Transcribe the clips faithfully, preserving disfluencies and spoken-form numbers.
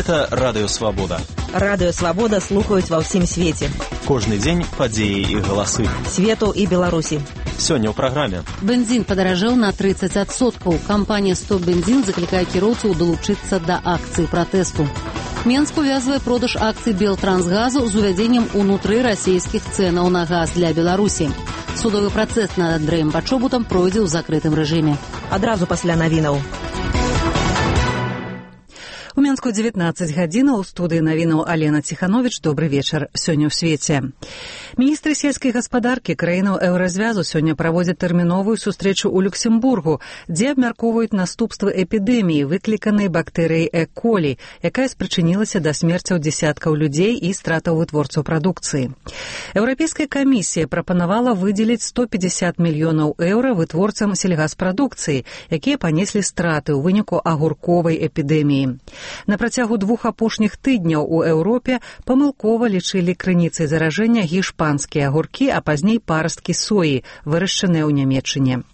Гэта Радыё Свабода. Радыё Свабода слухаюць ва ўсім свеце. Кожны дзень падзеі і галасы. Свету і Беларусі. Сёння ў праграме. Бензін падаражэў на трыццаць адсоткаў. Кампанія «Стоп бензін» заклікае кіроўцаў далучыцца да акцыі пратэсту. Менск увязвае продаж акцый Белтрансгазу з увядзеннем унутры расійскіх цэнаў на газ для Беларусі. Судовы працэс над Андрэем Пачобутам пройдзе ў закрытым рэжыме. Адразу пасля навінаў. У Менску дзевятнаццаць гадзінаў, у студыі навінаў Алена Ціхановіч. Добры вечар. Сёння ў свеце. Міністры сельскай гаспадаркі краінаў еўразвязу сёння праводзяць тэрміновую сустрэчу ў Люксембургу, дзе абмяркоўваюць наступствы эпідэміі, выкліканай бактэрыяй Э. колі, якая спрычынілася да смерцяў дзесяткаў людзей і стратаў вытворцаў прадукцыі. Еўрапейская камісія прапанавала выдзеліць сто пятьдесят мільёнаў еўра вытворцам сельгаспрадукцыі, якія панеслі страты ў выніку агурковай эпідэміі. На працягу двух апошніх тыдняў у Еўропе памылкова лічылі крыніцай заражэння гішпанскія агуркі, а пазней парасткі соі, вырашчаныя ў Нямецчыне.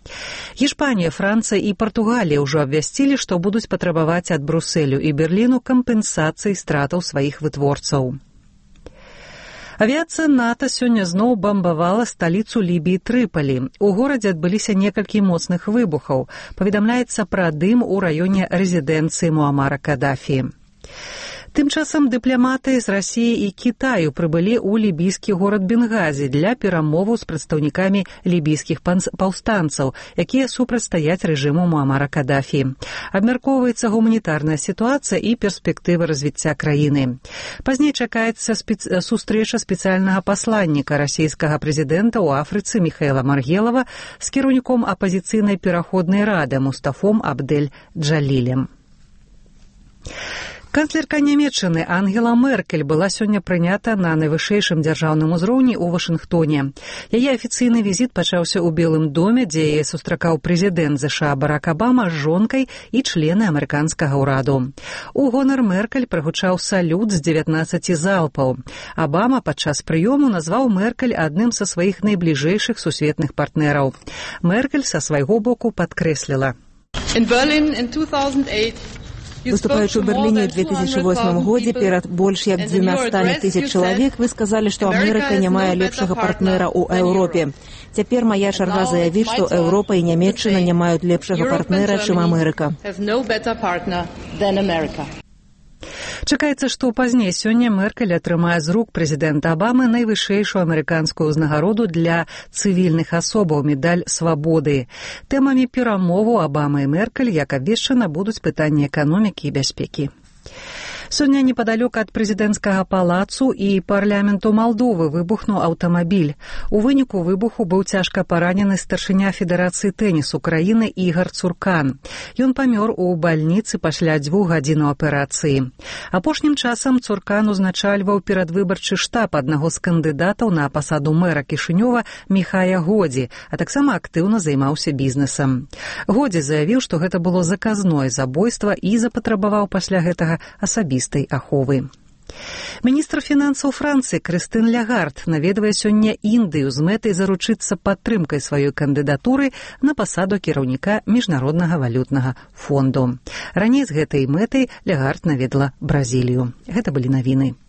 Гішпанія, Францыя і Партугалія ўжо абвясцілі, што будуць патрабаваць ад Брусэлю і Берліну кампенсацыі стратаў сваіх вытворцаў. Авіяцыя НАТО сёння зноў бамбавала сталіцу Лібіі Трыпалі. У горадзе адбыліся некалькі моцных выбухаў. Паведамляецца пра дым у раёне рэзідэнцыі Муамара Кадафі. Тым часам дыпламаты з Расіі і Кітаю прыбылі ў лібійскі горад Бенгазі для перамоваў з прадстаўнікамі лібійскіх паўстанцаў, якія супрацьстаяць рэжыму Муамара Кадафі. Абмяркоўваецца гуманітарная сітуацыя і перспектывы развіцця краіны. Пазней чакаецца спец... сустрэча спецыяльнага пасланніка расійскага прэзідэнта ў Афрыцы Міхаэла Маргелава з кіраўніком апазіцыйнай пераходнай рады Мустафом Абдель-Джалілем. Канцлерка Нямецчыны Ангела Меркель была сёння прынята на найвышэйшым дзяржаўным узроўні ў Вашынгтоне. Яе афіцыйны візіт пачаўся ў Белым доме, дзе яе сустракаў прэзідэнт ЗША Барак Абама з жонкай і члены амерыканскага ўраду. У гонар Меркель прагучаў салют з дзевятнаццаці залпаў. Абама падчас прыёму назваў Меркель адным са сваіх найбліжэйшых сусветных партнераў. Меркель са свайго боку падкрэсліла. In Berlin in two thousand eight Выступаючы ў Берліне ў две тысячы восьмым годзе перад больш як дзвюмястамі тысяч чалавек, вы сказалі, што Амерыка не мае лепшага партнера ў Еўропе. Цяпер мая чарга заявіць, што Еўропа і Нямецчына не маюць лепшага партнера, чым Амерыка. Чакаецца, што пазней сёння Меркель атрымае з рук прэзідэнта Абамы найвышэйшую амерыканскую ўзнагароду для цывільных асобаў медаль свабоды. Тэмамі перамоваў Абама і Меркель, як абвешчана, будуць пытанні эканомікі і бяспекі. Сёння непадалёк ад прэзідэнцкага палацу і парламенту Малдовы выбухнуў аўтамабіль. У выніку выбуху быў цяжка паранены старшыня Федэрацыі тэнісу краіны Ігар Цуркан. Ён памёр у бальніцы пасля дзвюх гадзінаў аперацыі. Апошнім часам Цуркан узначальваў перадвыбарчы штаб аднаго з кандыдатаў на пасаду мэра Кішынёва Міхая Годзі, а таксама актыўна займаўся бізнесам. Годзі заявіў, што гэта было заказное забойства і запатрабаваў пасля гэтага асабіста аховы. Міністр фінансаў Францыі Крыстын Лягард наведвае сёння Індыю з мэтай заручыцца падтрымкай сваёй кандыдатуры на пасаду кіраўніка Міжнароднага валютнага фонду. Раней з гэтай мэтай Лягард наведала Бразілію. Гэта былі навіны.